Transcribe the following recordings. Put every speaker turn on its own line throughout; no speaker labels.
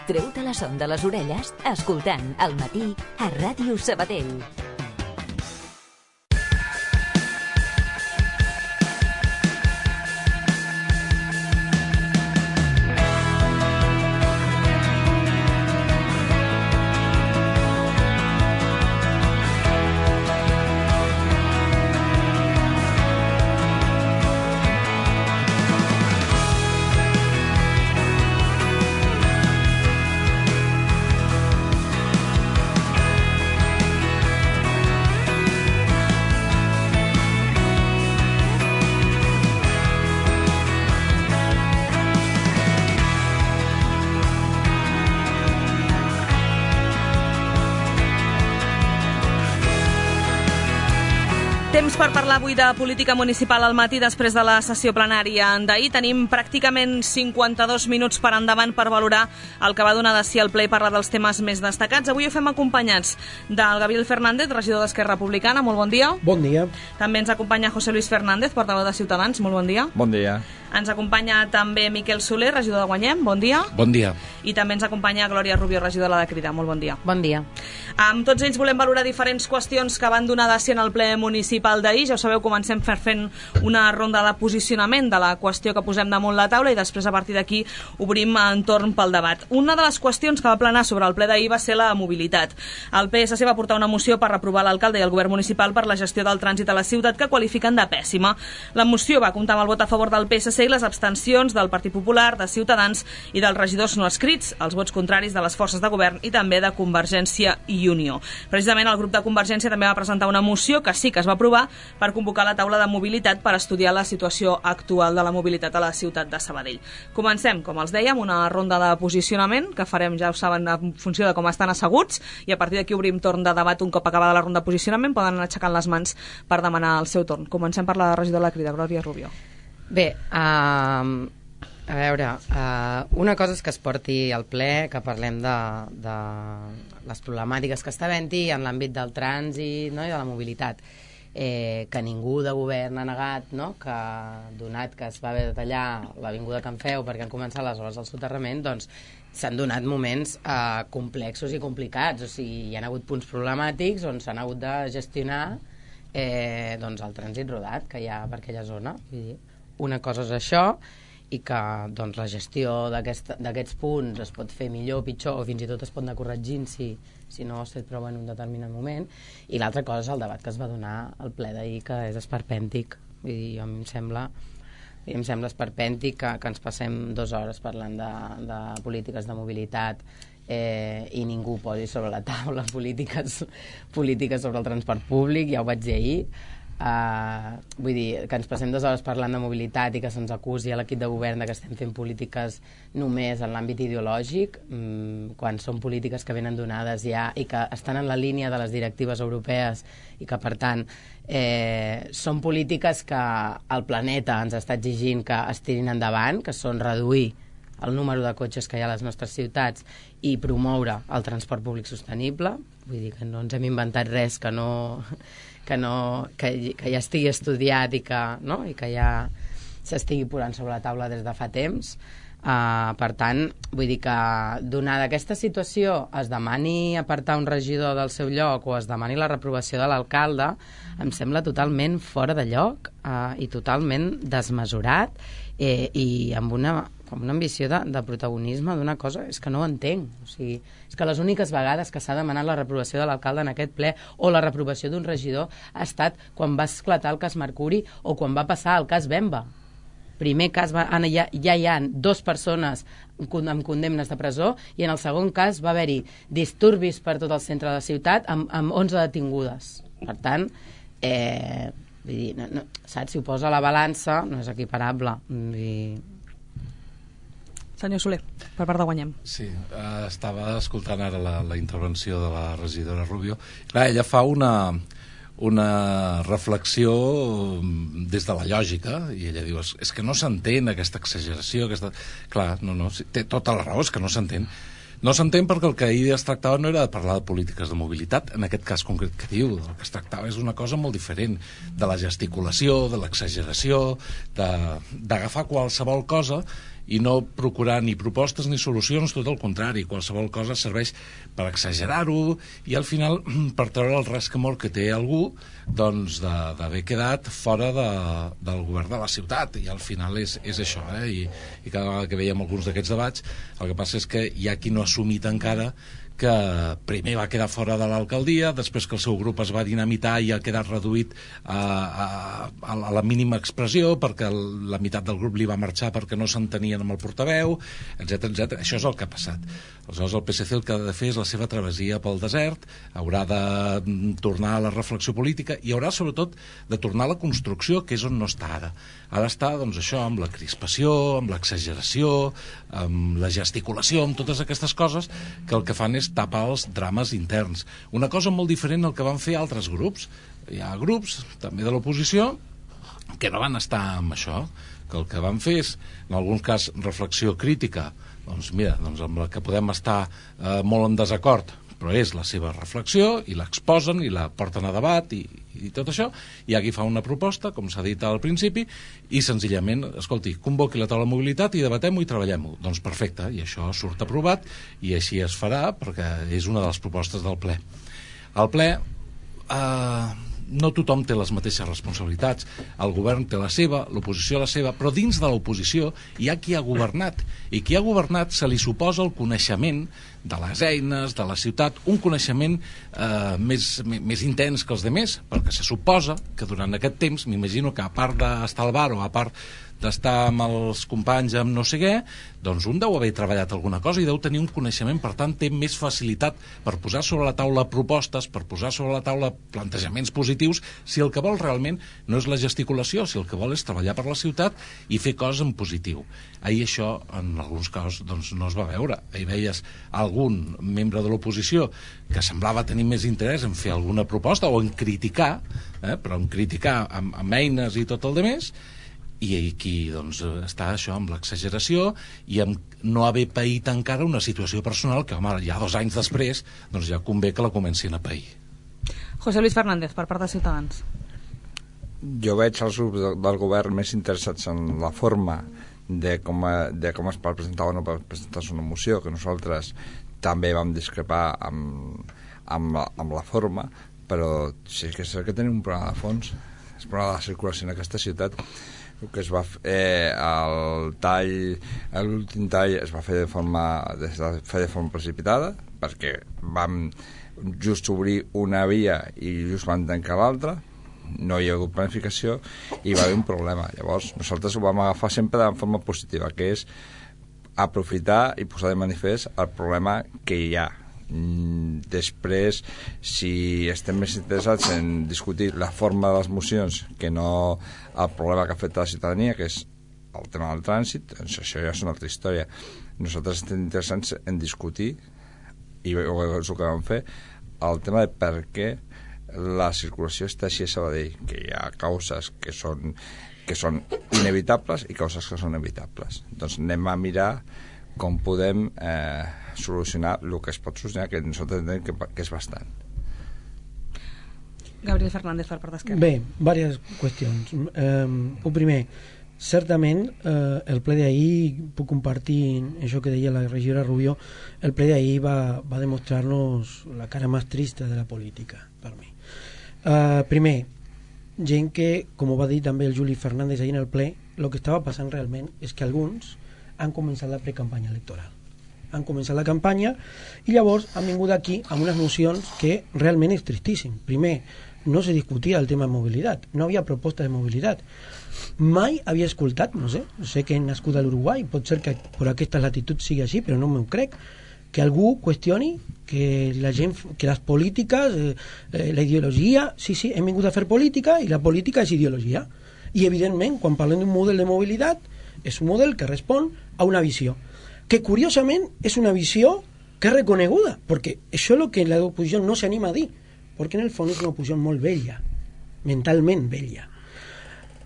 Treu-te la son de les orelles escoltant El Matí a Ràdio Sabadell.
Temps per parlar avui de política municipal al matí després de la sessió plenària d'ahir. Tenim pràcticament 52 minuts per endavant per valorar el que va donar de si al ple i parlar dels temes més destacats. Avui ho fem acompanyats del Gabriel Fernández, regidor d'Esquerra Republicana. Molt bon dia.
Bon dia.
També ens acompanya José Luis Fernández, portaveu de Ciutadans. Molt bon dia.
Bon dia.
Ens acompanya també Miquel Soler, regidor de Guanyem. Bon dia.
Bon dia.
I també ens acompanya Glòria Rubio, regidora de la Crida. Molt bon dia.
Bon dia.
Amb tots ells volem valorar diferents qüestions que van donar de si en el ple municipal d'ahir. Ja ho sabeu, comencem fent una ronda de posicionament de la qüestió que posem damunt la taula i després a partir d'aquí obrim entorn pel debat. Una de les qüestions que va planar sobre el ple d'ahir va ser la mobilitat. El PSC va portar una moció per reprovar l'alcalde i el govern municipal per la gestió del trànsit a la ciutat que qualifiquen de pèssima. La moció va comptar amb el vot a favor del PSC i les abstencions del Partit Popular, de Ciutadans i dels regidors no escrits, els vots contraris de les forces de govern i també de Convergència i Unió. Precisament el grup de Convergència també va presentar una moció que sí que es va aprovar per convocar la taula de mobilitat per estudiar la situació actual de la mobilitat a la ciutat de Sabadell. Comencem, com els dèiem, una ronda de posicionament que farem, ja ho saben, en funció de com estan asseguts i a partir d'aquí obrim torn de debat un cop acabada la ronda de posicionament. Poden anar aixecant les mans per demanar el seu torn. Comencem per la regidora de la Crida, Glòria Rubio.
Bé, a veure, una cosa és que es porti al ple, que parlem de les problemàtiques que està havent-hi en l'àmbit del trànsit, no, i de la mobilitat, que ningú de govern ha negat, no, que donat que es va haver de tallar l'avinguda Can Feu perquè han començat les obres del soterrament, doncs s'han donat moments complexos i complicats, o sigui, hi ha hagut punts problemàtics on s'han hagut de gestionar doncs el trànsit rodat que hi ha per aquella zona. Vull dir, una cosa és això, i que doncs, la gestió d'aquests punts es pot fer millor, pitjor, o fins i tot es pot anar corregint si no has fet prou en un determinat moment, i l'altra cosa és el debat que es va donar al ple d'ahir, que és esperpèntic. Vull dir, a mi em sembla esperpèntic que ens passem 2 hores parlant de polítiques de mobilitat i ningú posi sobre la taula polítiques sobre el transport públic. Ja ho vaig dir ahir. Vull dir, que ens passem 2 hores parlant de mobilitat i que se'ns acusi a l'equip de govern que estem fent polítiques només en l'àmbit ideològic, quan són polítiques que venen donades ja i que estan en la línia de les directives europees i que, per tant, són polítiques que el planeta ens està exigint que es tirin endavant, que són reduir el número de cotxes que hi ha a les nostres ciutats i promoure el transport públic sostenible. Vull dir que no ens hem inventat res que ja estigui estudiat i que ja s'estigui posant sobre la taula des de fa temps. Per tant, vull dir que donada aquesta situació es demani apartar un regidor del seu lloc o es demani la reprovació de l'alcalde, em sembla totalment fora de lloc i totalment desmesurat i amb una ambició de protagonisme d'una cosa, és que no ho entenc. O sigui, és que les úniques vegades que s'ha demanat la reprovació de l'alcalde en aquest ple o la reprovació d'un regidor ha estat quan va esclatar el cas Mercuri o quan va passar el cas Bemba. Primer cas ja hi ha 2 persones amb condemnes de presó i en el segon cas va haver-hi disturbis per tot el centre de la ciutat amb 11 detingudes. Per tant, vull dir, saps? Si ho posa a la balança no és equiparable.
Senyor Soler, per part de Guanyem.
Sí, estava escoltant ara la intervenció de la regidora Rubio. Clar, ella fa una reflexió des de la lògica i ella diu, és que no s'entén aquesta exageració, clar, no, té tota la raó, és que no s'entén. No s'entén perquè el que ahir es tractava no era de parlar de polítiques de mobilitat, en aquest cas concret que diu, el que es tractava és una cosa molt diferent, de la gesticulació, de l'exageració, d'agafar qualsevol cosa i no procurar ni propostes ni solucions, tot el contrari, qualsevol cosa serveix per exagerar-ho i al final per treure el rescamor que té algú doncs d'haver quedat fora del govern de la ciutat, i al final és això, I cada vegada que veiem alguns d'aquests debats el que passa és que hi ha qui no ha assumit encara que primer va quedar fora de l'alcaldia, després que el seu grup es va dinamitar i ha quedat reduït a la mínima expressió perquè la meitat del grup li va marxar perquè no s'entenien amb el portaveu, etc. Això és el que ha passat. Aleshores el PSC el que ha de fer és la seva travessia pel desert, haurà de tornar a la reflexió política i haurà sobretot de tornar a la construcció, que és on no està ara. Ha d'estar, doncs, això, amb la crispació, amb l'exageració, amb la gesticulació, amb totes aquestes coses que el que fan és tapar els drames interns. Una cosa molt diferent al que van fer altres grups. Hi ha grups, també de l'oposició, que no van estar amb això, que el que van fer és, en algun cas, reflexió crítica, doncs mira, doncs amb la que podem estar molt en desacord, però és la seva reflexió i l'exposen i la porten a debat i tot això, i aquí fa una proposta, com s'ha dit al principi, i senzillament, escolti, convoqui la taula de mobilitat i debatem-ho i treballem-ho. Doncs perfecte, i això surt aprovat i així es farà perquè és una de les propostes del ple. El ple no tothom té les mateixes responsabilitats, el govern té la seva, l'oposició la seva, però dins de l'oposició hi ha qui ha governat, i qui ha governat se li suposa el coneixement de les eines, de la ciutat, un coneixement més intens que els demés, perquè se suposa que durant aquest temps, m'imagino que a part d'estar al bar o a part d'estar amb els companys amb no sé què, doncs un deu haver treballat alguna cosa i deu tenir un coneixement, per tant té més facilitat per posar sobre la taula propostes, per posar sobre la taula plantejaments positius, si el que vol realment no és la gesticulació, si el que vol és treballar per la ciutat i fer coses en positiu. Ahir això, en alguns casos, doncs, no es va veure. Ahir veies algun membre de l'oposició que semblava tenir més interès en fer alguna proposta o en criticar, però en criticar amb eines i tot el demés, i aquí doncs, està això amb l'exageració i amb no haver paït encara una situació personal que, home, ja 2 anys després doncs ja convé que la comencin a pair.
José Luis Fernández, per part de Ciutadans.
Jo veig els grups del govern més interessats en la forma de com es pot presentar o no pot presentar-se una moció, que nosaltres també vam discrepar amb la forma, però sí que és cert que tenim un problema de fons, és el problema de la circulació en aquesta ciutat. El que es va fer, l'últim tall es va fer de forma precipitada, perquè vam just obrir una via i just van tancar l'altra, no hi ha hagut planificació i va haver un problema. Llavors nosaltres ho vam agafar sempre de forma positiva, que és aprofitar i posar de manifest el problema que hi ha. Després, si estem més interessats en discutir la forma de les mocions que no el problema que afecta la ciutadania, que és el tema del trànsit, doncs això ja és una altra història. Nosaltres estem interessats en discutir, i és el que vam fer, el tema de per què la circulació està així a Sabadell, que hi ha causes que són inevitables i causes que són evitables. Doncs anem a mirar com podem solucionar el que es pot solucionar, que nosaltres entenem que és bastant.
Gabriel Fernández, per part d'Esquerra.
Bé, diverses qüestions. El primer, certament el ple d'ahir, puc compartir això que deia la regidora Rubio, el ple d'ahir va demostrar-nos la cara més trista de la política, per mi. Primer, gent que, com ho va dir també el Juli Fernández ahir en el ple, el que estava passant realment és que alguns han començat la precampanya electoral. Han començat la campanya i llavors han vingut aquí amb unes mocions que realment és tristíssim. Primer, no se discutia el tema de mobilitat, no havia proposta de mobilitat. Mai havia escoltat, no sé que he nascut a l'Uruguai, pot ser que per aquesta latitud sigui així, però no m'ho crec, que algú qüestioni que la gent, que les polítiques, la ideologia, sí, hem vingut a fer política i la política és ideologia. I evidentment, quan parlem d'un model de mobilitat, és un model que respon a una visió, que curiosament és una visió que és reconeguda, perquè això és el que l'oposició no s'anima a dir, perquè en el fons és una oposició molt vella, mentalment vella.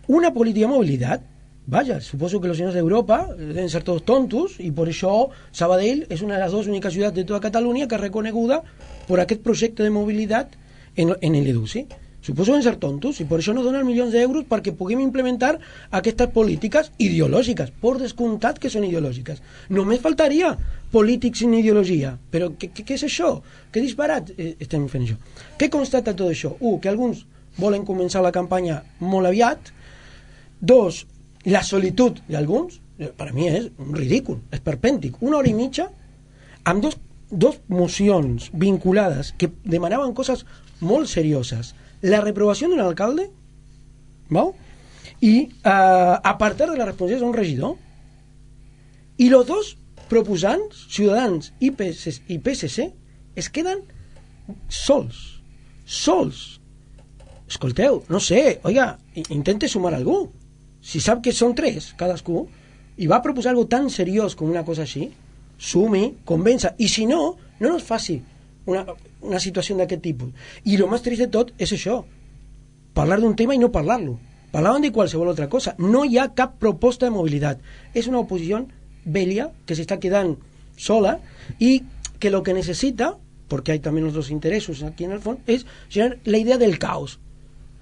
Una política de mobilitat, vaja, suposo que los señores de Europa deben ser todos tontos y por això Sabadell és una de les 2 úniques ciutats de tota Catalunya que és reconeguda per aquest projecte de mobilitat en l'EDUCI. Suposo que ser tontos i per això no donen milions d'euros perquè puguem implementar aquestes polítiques ideològiques, per descomptat que són ideològiques. Només faltaria polítics sin ideologia. Però què és això? Què disparat estem fent això? Què constata tot això? Que alguns volen començar la campanya molt aviat. 2, la solitud d'alguns, per a mi és un ridícul, esperpèntic. 1 hora i mitja amb dos mocions vinculades que demanaven coses molt serioses. La reprovació d'un alcalde, ¿no? I apartar de la responsabilitat d'un regidor. I els dos proposants, Ciutadans i PSC, es queden sols. Escolteu, no sé, oiga, intente sumar algú. Si sap que són 3, cadascú, i va proposar algo tan seriós com una cosa així, sumi, convença, i si no, no nos faci una situació d'aquest tipus. I el més trist de tot és això, parlar d'un tema i no parlar-lo. Parlaven de qualsevol altra cosa. No hi ha cap proposta de mobilitat. És una oposició vella que s'està quedant sola i que lo que necessita, porque hay también otros intereses aquí en el fons, és generar la idea del caos.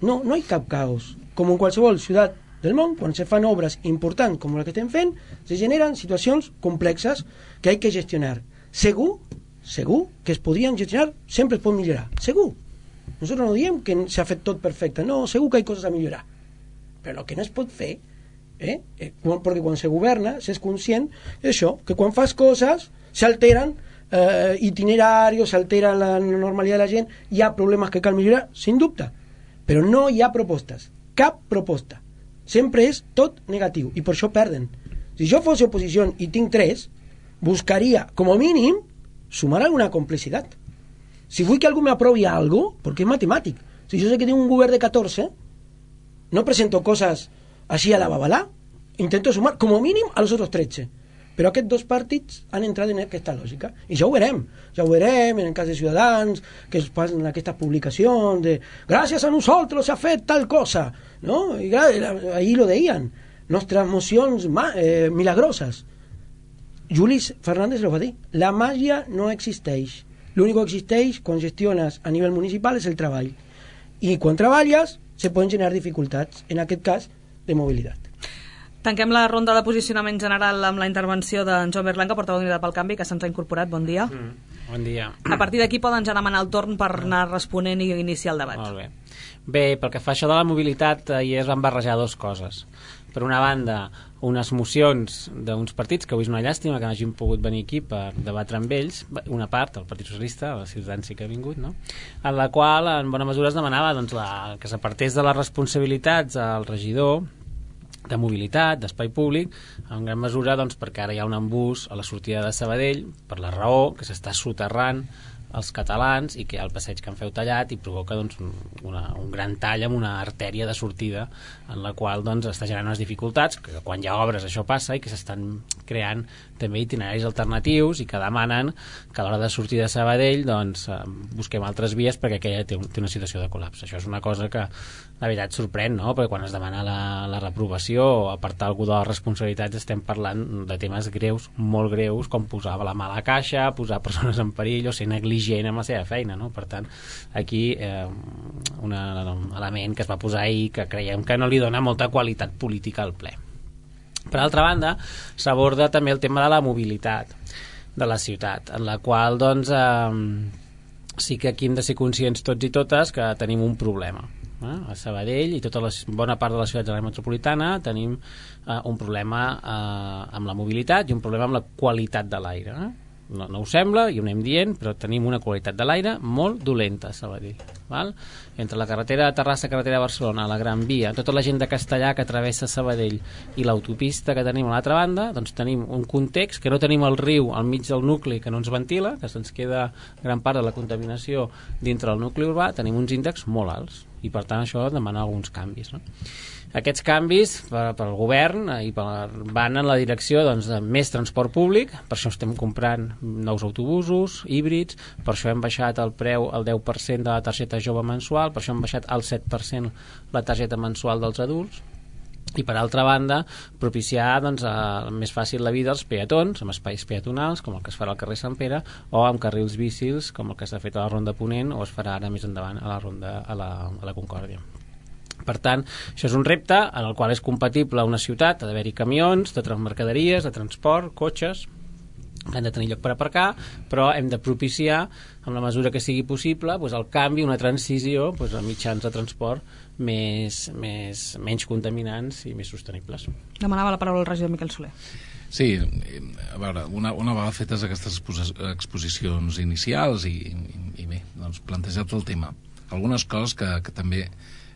No hi cap caos. Com en qualsevol ciutat del món, quan se fan obres importants com la que estem fent, se generen situacions complexes que hay que gestionar. Segur que es podrien gestionar, sempre es pot millorar, segur. Nosotros no diem que s'ha fet tot perfecte, no, segur que hi ha coses a millorar, però el que no es pot fer, perquè quan se governa s'és conscient d'això, que quan fas coses s'alteren itinerarios, s'altera la normalitat de la gent, hi ha problemes que cal millorar, sin dubte, però no hi ha propostes, cap proposta, sempre és tot negatiu, i per això perden. Si jo fos oposició i tinc 3, buscaria, com a mínim, sumar alguna complicitat. Si vull que algú m'aprovi algo, perquè és matemàtic. Si jo sé que tinc un govern de 14, no presento coses així a la babalà, intento sumar, com a mínim, a los otros 13. Però aquests 2 partits han entrat en aquesta lògica. I ja ho verem en el cas de Ciutadans, que es passen aquestes publicacions de gràcies a nosaltres s'ha fet tal cosa, no? I ahí lo deien, nostres mocions milagroses. Juli Fernández lo va dir, la màgia no existeix, l'únic que existeix quan gestiones a nivell municipal és el treball, i quan treballes se poden generar dificultats, en aquest cas de mobilitat.
Tanquem la ronda de posicionament general amb la intervenció d'en Joan Berlanca, portaveu d'Unitat pel Canvi, que se'ns ha incorporat. Bon dia.
Bon dia.
A partir d'aquí poden ja demanar el torn per anar responent i iniciar el debat.
Molt bé. Bé, pel que fa això de la mobilitat, ahir es van barrejar 2 coses. Per una banda, unes mocions d'uns partits, que avui és una llàstima que no hagin pogut venir aquí per debatre amb ells, una part, el Partit Socialista, la Ciutadans sí que ha vingut, no? En la qual, en bona mesura, es demanava que s'apartés de les responsabilitats al regidor de mobilitat, d'espai públic, en gran mesura perquè ara hi ha un embús a la sortida de Sabadell per la raó que s'està soterrant els catalans i que hi ha el passeig que han feu tallat i provoca un gran tall amb una artèria de sortida en la qual està generant unes dificultats que quan hi ha obres això passa i que s'estan creant també itineraris alternatius i que demanen que a l'hora de sortir de Sabadell busquem altres vies perquè aquella té una situació de col·lapse. Això és una cosa que la veritat sorprèn, no? Perquè quan es demana la reprovació o apartar algú de les responsabilitats estem parlant de temes greus, molt greus, com posar la mà a la caixa, posar persones en perill o ser negligent amb la seva feina, no? Per tant, aquí un element que es va posar ahir que creiem que no li dona molta qualitat política al ple. Per altra banda, s'aborda també el tema de la mobilitat de la ciutat, en la qual sí que aquí hem de ser conscients tots i totes que tenim un problema. A Sabadell i bona part de la ciutat de l'àrea metropolitana tenim un problema amb la mobilitat i un problema amb la qualitat de l'aire. No ho sembla, i ho anem dient, però tenim una qualitat de l'aire molt dolenta a Sabadell. Entre la carretera de Terrassa, carretera de Barcelona, la Gran Via, tota la gent de Castellà que travessa Sabadell i l'autopista que tenim a l'altra banda, doncs tenim un context que no tenim el riu al mig del nucli que no ens ventila, que se'ns queda gran part de la contaminació dintre del nucli urbà, tenim uns índexs molt alts i per tant això demana alguns canvis, no? Aquests canvis pel govern van en la direcció de més transport públic, per això estem comprant nous autobusos híbrids, per això hem baixat el preu al 10% de la targeta jove mensual, per això hem baixat al 7% la targeta mensual dels adults i per altra banda propiciar doncs, més fàcil la vida als peatons, amb espais peatonals com el que es farà al carrer Sant Pere, o amb carrils bicis com el que s'ha fet a la Ronda Ponent o es farà ara més endavant a la Ronda a la Concòrdia. Per tant, això és un repte en el qual és compatible una ciutat, ha d'haver-hi camions de mercaderies, de transport, cotxes que han de tenir lloc per aparcar, però hem de propiciar, en la mesura que sigui possible, doncs, el canvi, una transició doncs, a mitjans de transport menys contaminants i més sostenibles.
Demanava la paraula el regidor Miquel Soler.
Sí, a veure, una vegada fetes aquestes exposicions inicials i bé, doncs plantejat el tema, algunes coses que també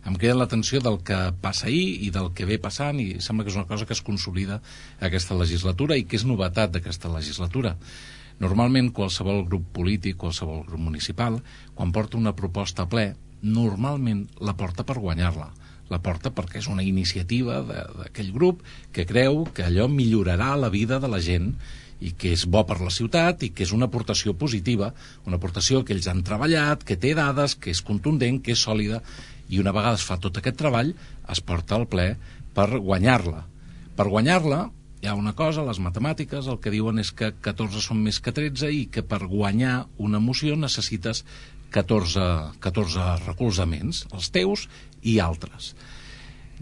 em queda l'atenció del que passa ahir i del que ve passant, i sembla que és una cosa que es consolida aquesta legislatura i que és novetat d'aquesta legislatura. Normalment qualsevol grup polític, qualsevol grup municipal, quan porta una proposta a ple, normalment la porta per guanyar-la. La porta perquè és una iniciativa d'aquell grup que creu que allò millorarà la vida de la gent i que és bo per la ciutat i que és una aportació positiva, una aportació que ells han treballat, que té dades, que és contundent, que és sòlida, i una vegada es fa tot aquest treball es porta al ple per guanyar-la. Per guanyar-la hi ha una cosa, les matemàtiques el que diuen és que 14 són més que 13 i que per guanyar una moció necessites 14 recolzaments, els teus i altres.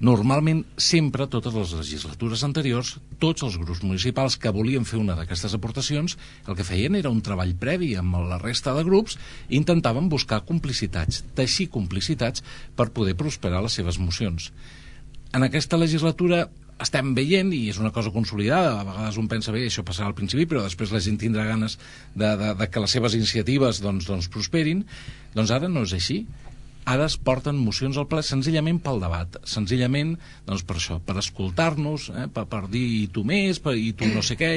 Normalment, sempre, totes les legislatures anteriors, tots els grups municipals que volien fer una d'aquestes aportacions, el que feien era un treball previ amb la resta de grups i intentaven buscar complicitats, teixir complicitats per poder prosperar les seves mocions. En aquesta legislatura estem veient, i és una cosa consolidada, a vegades un pensa, bé, això passarà al principi, però després la gent tindrà ganes de que les seves iniciatives doncs prosperin, doncs ara no és així. Ara es porten mocions al ple senzillament pel debat, senzillament doncs per això, per escoltar-nos, per dir i tu més, i tu no sé què,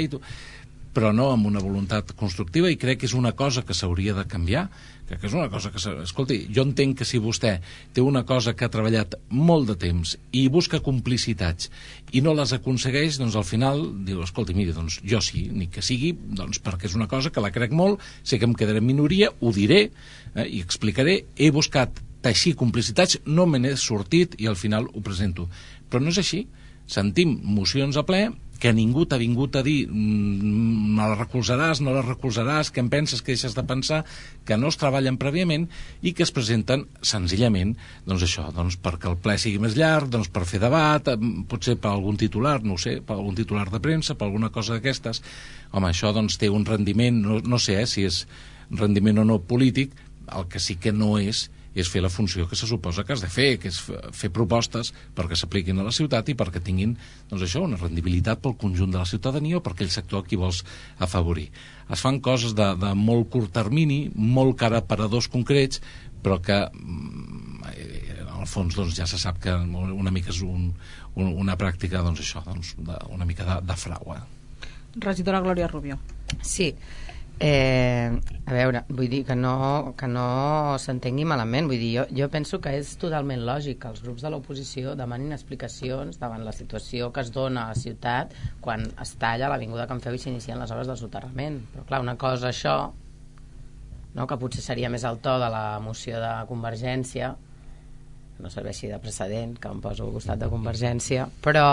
però no amb una voluntat constructiva, i crec que és una cosa que s'hauria de canviar, crec que és una cosa que... Escolti, jo entenc que si vostè té una cosa que ha treballat molt de temps i busca complicitats i no les aconsegueix, doncs al final diu, escolti, miri, doncs jo sí, ni que sigui, doncs perquè és una cosa que la crec molt, sé que em quedaré en minoria, ho diré i explicaré, he buscat teixir complicitats, no me n'he sortit i al final ho presento. Però no és així. Sentim mocions a ple que ningú t'ha vingut a dir no la recolzaràs, no la recolzaràs, què en penses, què deixes de pensar, que no es treballen prèviament i que es presenten senzillament doncs això, doncs perquè el ple sigui més llarg, doncs per fer debat, potser per algun titular, no ho sé, per algun titular de premsa, per alguna cosa d'aquestes. Home, això doncs té un rendiment, no sé si és rendiment o no polític, el que sí que no és fer la funció que se suposa que has de fer, que és fer propostes perquè s'apliquin a la ciutat i perquè tinguin doncs això, una rendibilitat pel conjunt de la ciutadania o per aquell sector a qui vols afavorir. Es fan coses de molt curt termini, molt cara per a dos concrets, però que en el fons doncs, ja se sap que una mica és una pràctica doncs, això, doncs, una mica de frau.
Regidora Glòria Rubio.
Sí. A veure, vull dir que no s'entengui malament, vull dir, jo penso que és totalment lògic que els grups de l'oposició demanin explicacions davant la situació que es dona a la ciutat quan es talla l'avinguda Can Feu i s'inicien les obres del soterrament. Però clar, una cosa això, no, que potser seria més el to de la moció de Convergència, no serveixi de precedent que em poso al costat de Convergència, però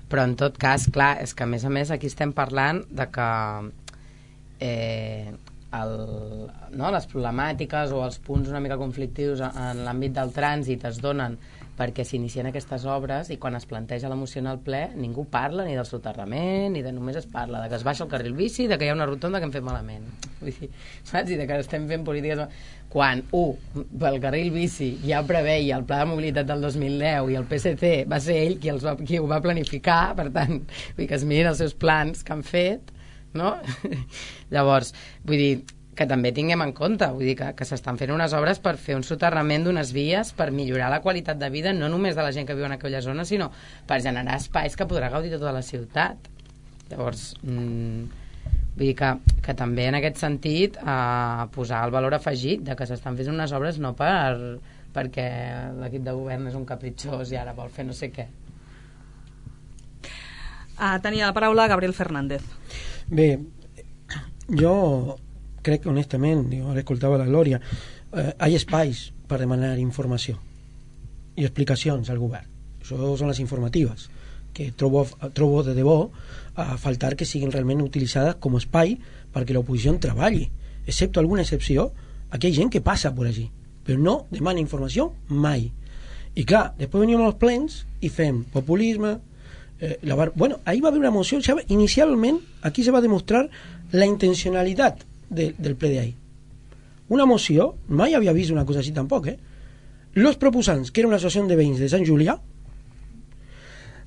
però en tot cas, clar, és que a més aquí estem parlant de que les problemàtiques o els punts una mica conflictius en l'àmbit del trànsit es donen perquè s'inicien aquestes obres i quan es planteja la moció en el ple ningú parla ni del soterrament ni de només es parla de que es baixa el carril bici, de que hi ha una rotonda que hem fet malament, vull dir, saps? I de que estem fent polítiques quan pel carril bici ja preveia el pla de mobilitat del 2010 i el PSC va ser ell qui ho va planificar, per tant vull dir que es mirin els seus plans que han fet, no? Llavors, vull dir que també tinguem en compte, vull dir que s'estan fent unes obres per fer un soterrament d'unes vies per millorar la qualitat de vida no només de la gent que viu en aquella zona, sinó per generar espais que podrà gaudir tota la ciutat. Llavors, vull dir que també en aquest sentit posar el valor afegit de que s'estan fent unes obres no perquè l'equip de govern és un capritxós i ara vol fer no sé què.
Tenia la paraula Gabriel Fernández.
Bé, jo crec honestament, ara escoltava la Glòria, hi ha espais per demanar informació i explicacions al govern. Això són les informatives, que trobo de debò a faltar que siguin realment utilitzades com a espai perquè l'oposició treballi. Excepto alguna excepció, aquí hi ha gent que passa per allí, però no demana informació mai. I clar, després venim als plens i fem populisme. Bueno, ahí va haver una moció. Inicialment, aquí se va demostrar la intencionalitat del ple d'ahir. Una moció, mai havia vist una cosa així tampoc, Los proposants, que era una associació de veïns de Sant Julià,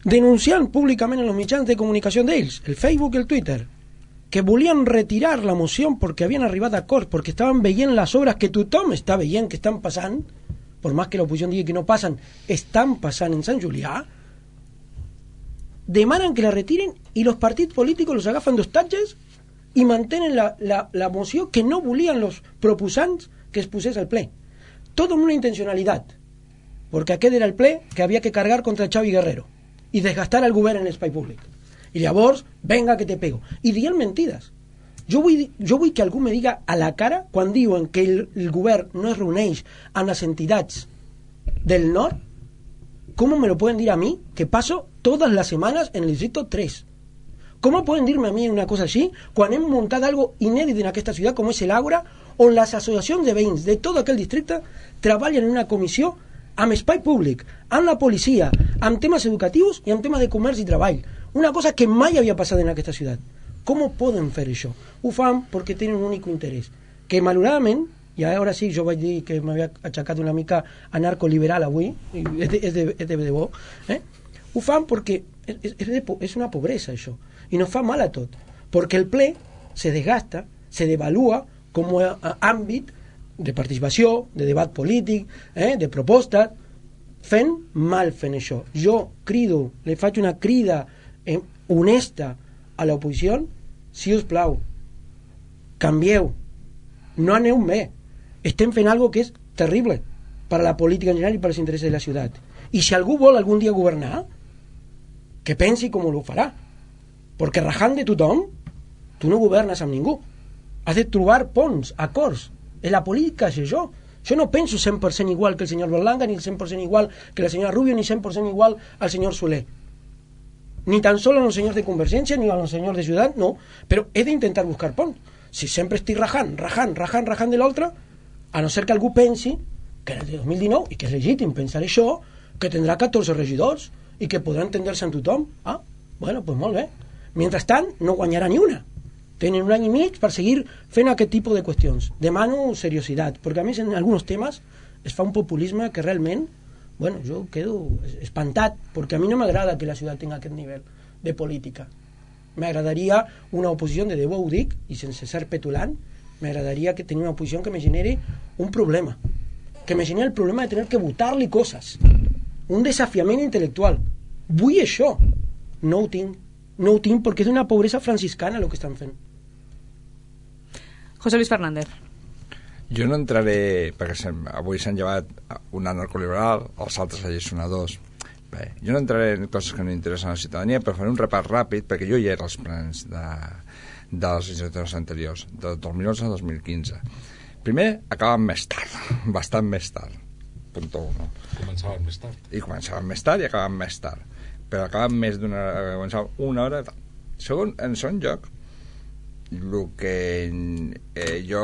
denunciant públicament en els mitjans de comunicació d'ells, el Facebook i el Twitter, que volien retirar la moció perquè havien arribat a acords, perquè estaven veient les obres que tothom està veient que estan passant, per més que l'oposició digui que no passen, estan passant en Sant Julià, demanen que la retiren i els partits polítics los agafen d'hostatges i mantenen la moció que no volien els proposants que es posés al ple. Tot amb una intencionalitat, perquè aquest era el ple que havia que cargar contra Xavi Guerrero i desgastar el govern en l'espai públic. I llavors, venga que te pego. I diuen mentides. Jo vull que algú me diga a la cara quan diuen que el govern no es reuneix amb les entitats del nord. ¿Cómo me lo pueden decir a mí que paso todas las semanas en el distrito 3? ¿Cómo pueden decirme a mí una cosa así quan hem muntat algo inèdit en aquesta ciutat com és l'Àgora, on les associacions de veïns de tot aquell districte treballen en una comissió amb espai públic, amb la policia, amb temes educatius i amb temes de comerç i treball? Una cosa que mai havia passat en aquesta ciutat. Com poden fer això? Ho fan perquè tenen un únic interès, que malauradament, i ara sí, jo vaig dir que m'havia aixecat una mica anarcoliberal avui, és de debò, ho fan perquè és una pobresa això, i nos fa mal a tot, perquè el ple se desgasta, se devalua com a àmbit de participació, de debat polític, de proposta, fent això. Jo crido, li faig una crida honesta a l'oposició, si us plau, canvieu, no aneu bé, estem fent algo que és terrible per a la política en general i per als interessos de la ciutat. I si algú vol algun dia governar, que pensi com ho farà, perquè rajant de tothom, tu no governes amb ningú. Has de trobar ponts, acords. En la política és això. Jo no penso 100% igual que el senyor Berlanga, ni 100% igual que la senyora Rubio, ni 100% igual al senyor Soler. Ni tan solo a los senyors de Convergència, ni a los senyors de Ciutat, no. Però he d'intentar buscar ponts. Si sempre estic rajant de l'altre, a no ser que algú pensi que en el de 2019, i que és legítim pensar això, que tindrà 14 regidors i que podrà entendre-se amb tothom. Bueno, doncs molt bé. Mentrestant, no guanyarà ni una. Tenen un any i mig per seguir fent aquest tipus de qüestions. Demano seriositat, perquè a més en alguns temes es fa un populisme que realment, bueno, jo quedo espantat, perquè a mi no m'agrada que la ciutat tingui aquest nivell de política. M'agradaria una oposició, de debò ho dic, i sense ser petulant, m'agradaria que tenir una oposició que me genere un problema, que me genere el problema de tener que votar-li coses, un desafiament intel·lectual. Vull això. No ho tinc perquè és una pobresa franciscana el que estan fent.
José Luis Fernández.
Jo no entraré, perquè avui s'han llevat un anarcoliberal, els altres allisonadors. Bé, jo no entraré en coses que no interessen a la ciutadania, però faré un repàs ràpid, perquè jo ja era als plens de les legislatures anteriors, de 2011 a 2015. Primer, acaben més tard, bastant més tard. Punto 1.
Començaven més tard.
I començaven més tard i acabaven més tard. Però acaben més d'una hora, començaven una hora. Segon, en segon lloc, el que jo,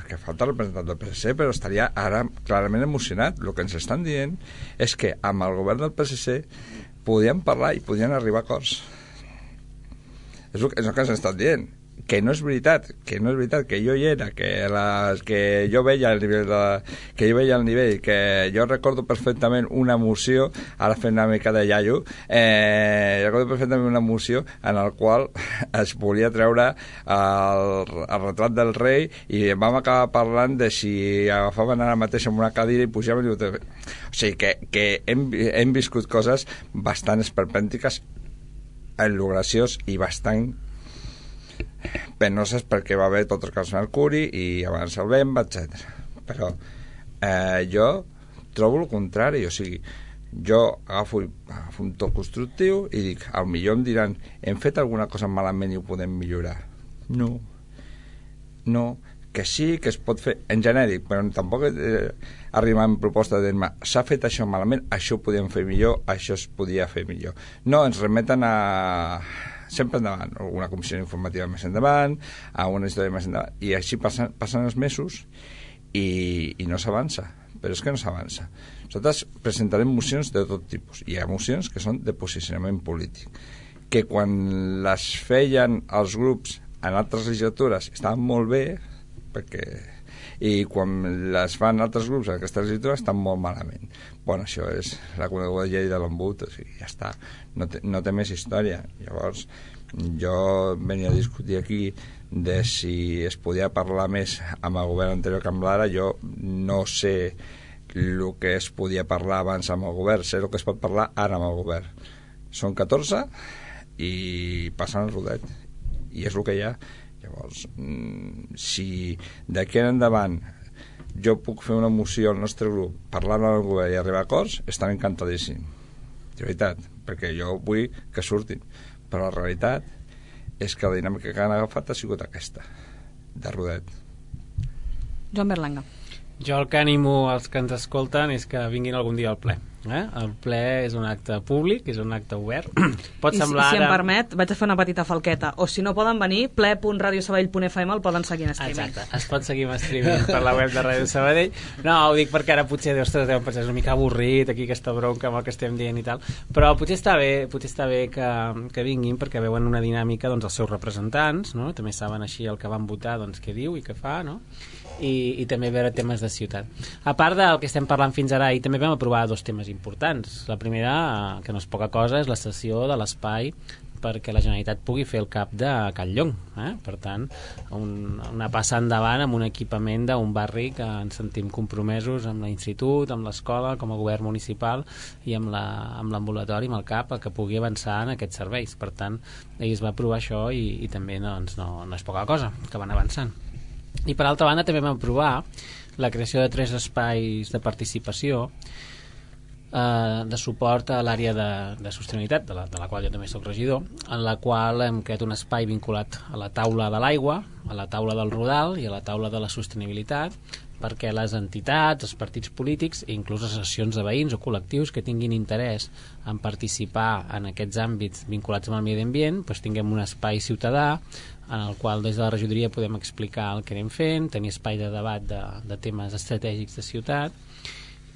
que falta el representant del PSC, però estaria ara clarament emocionat. El que ens estan dient és que amb el govern del PSC podien parlar i podien arribar a acords. És el que ens estan dient. Que no és veritat, que jo hi era, que jo veia el nivell, que jo recordo perfectament una moció, ara fent una mica de iaio, recordo perfectament una moció en la qual es volia treure el retrat del rei i vam acabar parlant de si agafaven ara mateix en una cadira i pujaven o sigui que hem viscut coses bastant esperpèntiques en lo graciós i bastant penoses perquè va haver tot el cas Mercuri i abans el Bemba, etc. Però jo trobo el contrari, o sigui, jo agafo un to constructiu i dic, al millor em diran hem fet alguna cosa malament i ho podem millorar. No, que sí, que es pot fer en genèric, però tampoc arribar amb proposta de dir s'ha fet això malament, això ho podíem fer millor, això es podia fer millor. No, ens remeten sempre endavant, una comissió informativa més endavant, a una història més endavant, i així passen els mesos i no s'avança, però és que no s'avança. Nosaltres presentarem mocions de tot tipus. Hi ha mocions que són de posicionament polític, que quan les feien els grups en altres legislatures estaven molt bé, i quan les fan altres grups en aquesta legislatura estan molt malament. Bueno, això és la coneguda llei de l'embut, o sigui, ja està, no té més història. Llavors jo venia a discutir aquí de si es podia parlar més amb el govern anterior que amb l'ara. Jo no sé el que es podia parlar abans amb el govern, sé el que es pot parlar ara amb el govern. Són 14 i passen el rodet, i és el que hi ha. Llavors, si d'aquí en endavant jo puc fer una moció al nostre grup parlant amb el govern i arribar a acords, estaré encantadíssim, de veritat, perquè jo vull que surtin, però la realitat és que la dinàmica que han agafat ha sigut aquesta, de rodet.
Joan Berlanga.
Jo el que animo als que ens escolten és que vinguin algun dia al ple. El ple és un acte públic, és un acte obert. Pot semblar
si em permet, vaig a fer una petita falqueta. O si no poden venir, ple.radiosabadell.fm el poden seguir en streaming.
Exacte, es pot seguir en streaming per la web de Ràdio Sabadell. No, ho dic perquè ara potser deuen pensar una mica avorrit aquí aquesta bronca amb el que estem dient i tal, però potser està bé que vinguin perquè veuen una dinàmica dels seus representants, no? També saben així el que van votar, què diu i què fa, no? I també veure temes de ciutat. A part del que estem parlant fins ara, i també vam aprovar 2 temes importants. La primera, que no és poca cosa, és la cessió de l'espai perquè la Generalitat pugui fer el CAP de Can Llong. Per tant, una passa endavant amb un equipament d'un barri que ens sentim compromesos amb l'institut, amb l'escola, com a govern municipal i amb l'ambulatori, amb el CAP, que pugui avançar en aquests serveis. Per tant, ahir es va aprovar això i també no és poca cosa, que van avançant. I per altra banda també vam aprovar la creació de 3 espais de participació de suport a l'àrea de sostenibilitat, de la qual jo també soc regidor, en la qual hem creat un espai vinculat a la taula de l'aigua, a la taula del Rodal i a la taula de la sostenibilitat, perquè les entitats, els partits polítics i inclús les associacions de veïns o col·lectius que tinguin interès en participar en aquests àmbits vinculats amb el medi ambient, doncs tinguem un espai ciutadà en el qual des de la regidoria podem explicar el que anem fent, tenir espai de debat de temes estratègics de ciutat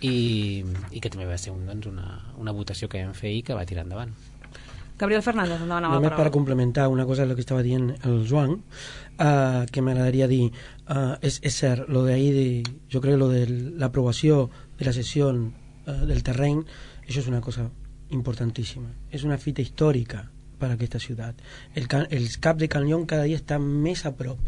i que també va ser una votació que vam fer i que va tirar endavant.
Gabriel Fernández, endavant amb la
Només
paraula.
per complementar una cosa del que estava dient el Joan, que m'agradaria dir, és cert, lo de ahí jo crec que lo de l'aprovació de la sessió del terreny, això és una cosa importantíssima, és una fita històrica per a aquesta ciutat. El CAP de Can Llong cada dia està més a prop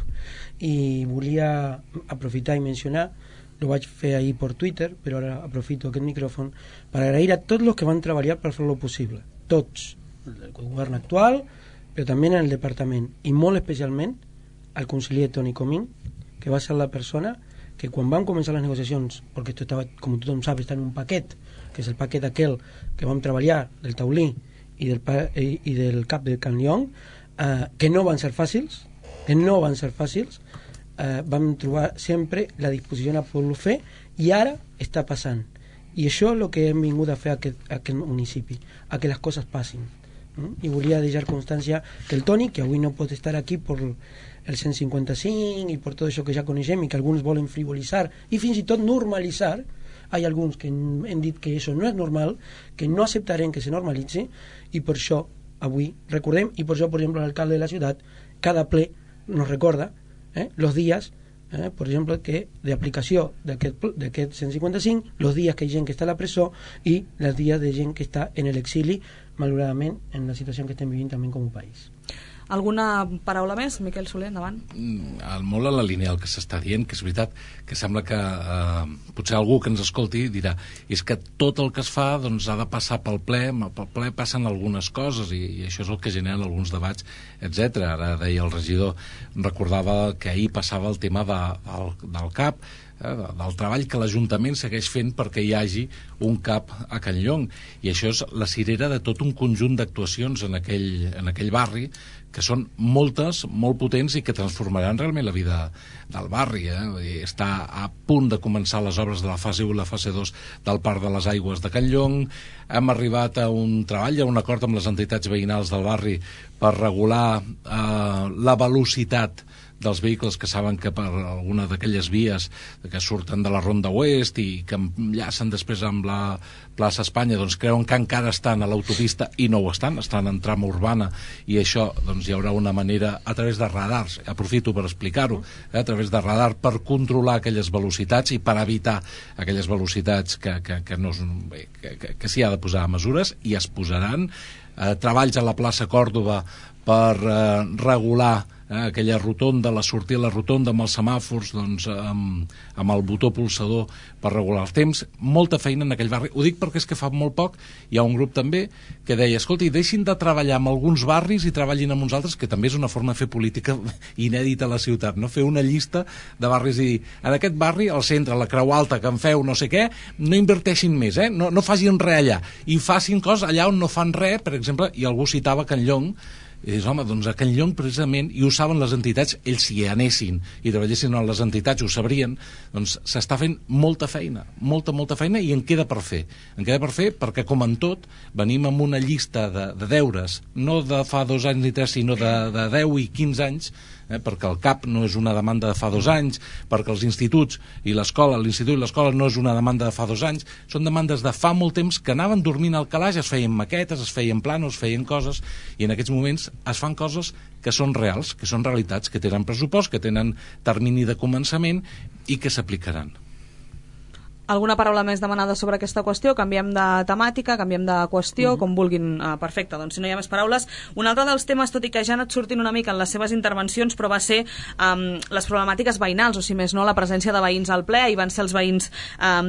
i volia aprofitar i mencionar, lo vaig fer ahir per Twitter, però ara aprofito aquest micròfon per agrair a tots els que van treballar per fer-lo possible, tots, el govern actual, però també en el departament, i molt especialment al conseller Toni Comín, que va ser la persona que quan van començar les negociacions, perquè esto estava, com tothom sap, està en un paquet, que és el paquet aquell que vam treballar del taulí i del CAP de Can Llong, que no van ser fàcils, vam trobar sempre la disposició a poder-lo fer, i ara està passant. I això és el que hem vingut a fer a aquest municipi, a que les coses passin. I volia deixar constància que el Toni, que avui no pot estar aquí per el 155 i per tot això que ja coneixem i que alguns volen frivolitzar i fins i tot normalitzar, hi ha alguns que hem dit que això no és normal, que no acceptarem que se normalitzi, i per això avui recordem, i per això, per exemple, l'alcalde de la ciutat cada ple nos recorda los días, por ejemplo, que de aplicació d'aquest 155, los días que hi ha gent que està a la presó i els dies de gent que està en l'exili, malauradament, en la situació que estem vivint també com un país.
Alguna paraula més? Miquel Soler, endavant.
Molt a la línia del que s'està dient, que és veritat que sembla que potser algú que ens escolti dirà és que tot el que es fa doncs, ha de passar pel ple passen algunes coses i això és el que generen alguns debats, etc. Ara deia el regidor, recordava que ahir passava el tema del CAP, del treball que l'Ajuntament segueix fent perquè hi hagi un CAP a Can Llong, i això és la cirera de tot un conjunt d'actuacions en aquell barri, que són moltes, molt potents i que transformaran realment la vida del barri. Està a punt de començar les obres de la fase 1 i la fase 2 del Parc de les Aigües de Can Llong. Hem arribat a un treball, a un acord amb les entitats veïnals del barri per regular la velocitat dels vehicles que saben que per alguna d'aquelles vies que surten de la Ronda Oest i que enllacen després amb la plaça Espanya, doncs creuen que encara estan a l'autopista i no ho estan en trama urbana, i això doncs hi haurà una manera a través de radars, aprofito per explicar-ho, a través de radar per controlar aquelles velocitats i per evitar aquelles velocitats que s'hi ha de posar mesures, i es posaran treballs a la plaça Còrdova per regular aquella rotonda, la sortida a la rotonda amb els semàfors, doncs, amb el botó pulsador per regular els temps. Molta feina en aquell barri. Ho dic perquè és que fa molt poc hi ha un grup també que deia, escolti, deixin de treballar amb alguns barris i treballin amb uns altres, que també és una forma de fer política inèdita a la ciutat, no? Fer una llista de barris i dir, en aquest barri, al centre, a la Creu Alta, que en feu no sé què, no inverteixin més, no facin res allà, i facin coses allà on no fan res, per exemple, i algú citava Can Llong, i dius, home, doncs a Can Llong precisament, i ho saben les entitats, ells si hi anessin i treballessin a les entitats ho sabrien, doncs s'està fent molta feina, molta feina, i en queda per fer perquè, com en tot, venim amb una llista de deures, no de fa 2 anys ni 3, sinó de 10 i 15 anys, perquè el CAP no és una demanda de fa 2 anys, perquè els instituts i l'escola, l'institut i l'escola no és una demanda de fa 2 anys, són demandes de fa molt temps que anaven dormint al calaix, es feien maquetes, es feien planos, es feien coses, i en aquests moments es fan coses que són reals, que són realitats, que tenen pressupost, que tenen termini de començament i que s'aplicaran.
Alguna paraula més demanada sobre aquesta qüestió? Canviem de temàtica, canviem de qüestió, com vulguin. Perfecte, doncs si no hi ha més paraules. Un altre dels temes, tot i que ja ha anat sortint una mica en les seves intervencions, però va ser les problemàtiques veïnals, o si més no, la presència de veïns al ple. Hi van ser els veïns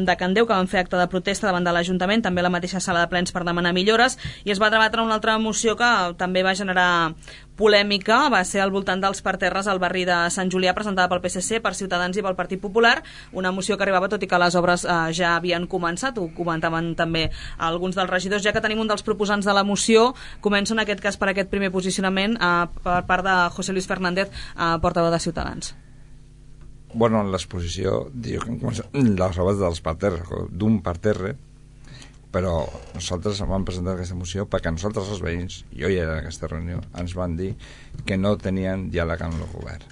de Candeu que van fer acte de protesta davant de l'Ajuntament, també a la mateixa sala de plens per demanar millores, i es va debatre una altra moció que també va generar polèmica, va ser al voltant dels parterres al barri de Sant Julià, presentada pel PSC, per Ciutadans i pel Partit Popular, una moció que arribava tot i que les obres ja havien començat, ho comentaven també alguns dels regidors. Ja que tenim un dels proposants de la moció, començo en aquest cas per aquest primer posicionament per part de José Luis Fernández, portaveu de Ciutadans.
Bueno, en l'exposició diu que han començat les obres dels parterres, d'un parterre, però nosaltres vam presentar aquesta moció perquè nosaltres els veïns, jo ja era en aquesta reunió, ens van dir que no tenien diàleg amb el govern,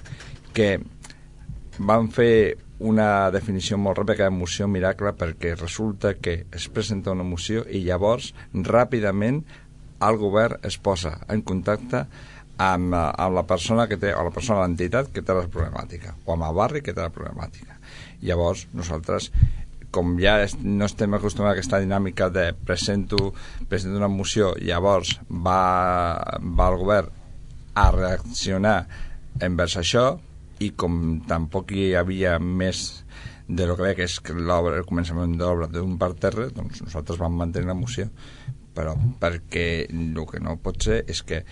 que van fer una definició molt ràpida de moció miracle, perquè resulta que es presenta una moció i llavors ràpidament el govern es posa en contacte amb la persona que té, o la persona de l'entitat que té la problemàtica, o amb el barri que té la problemàtica. Llavors nosaltres, com ja no estem acostumats a aquesta dinàmica de presento una moció, llavors va el govern a reaccionar envers això, i com tampoc hi havia més de lo que veia, que és el començament de l'obra d'un parterre, doncs nosaltres vam mantenir la moció, però perquè el que no pot ser és que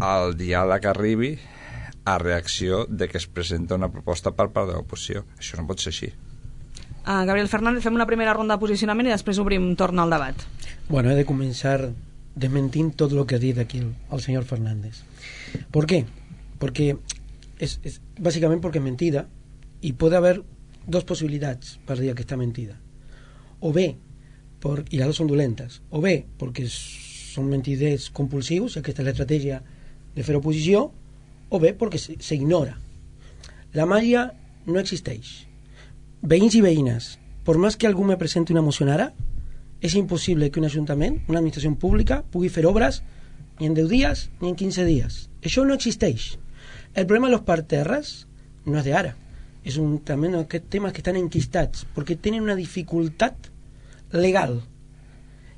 el diàleg arribi a reacció de que es presenta una proposta per part de l'oposició. Això no pot ser així.
Gabriel Fernández, fem una primera ronda de posicionament i després obrim torn al debat.
Bueno, he de començar desmentint tot el que ha dit aquí el senyor Fernández. ¿Por qué? Porque es básicamente porque es mentida, y puede haber dos posibilidades para dir que está mentida. O bé, y las dos son dolentes, o bé porque són mentiders compulsius, i aquesta és l'estratègia de fer oposició, o bé perquè s'ignora. La màgia no existeix. Veïns i veïnes, por más que algú me presenti una moció ara, és impossible que un ajuntament, una administració pública, pugui fer obres ni en 10 dies ni en 15 dies. Això no existeix. El problema de los parterres no és d'ara. És també aquests temes que estan enquistats, perquè tenen una dificultat legal.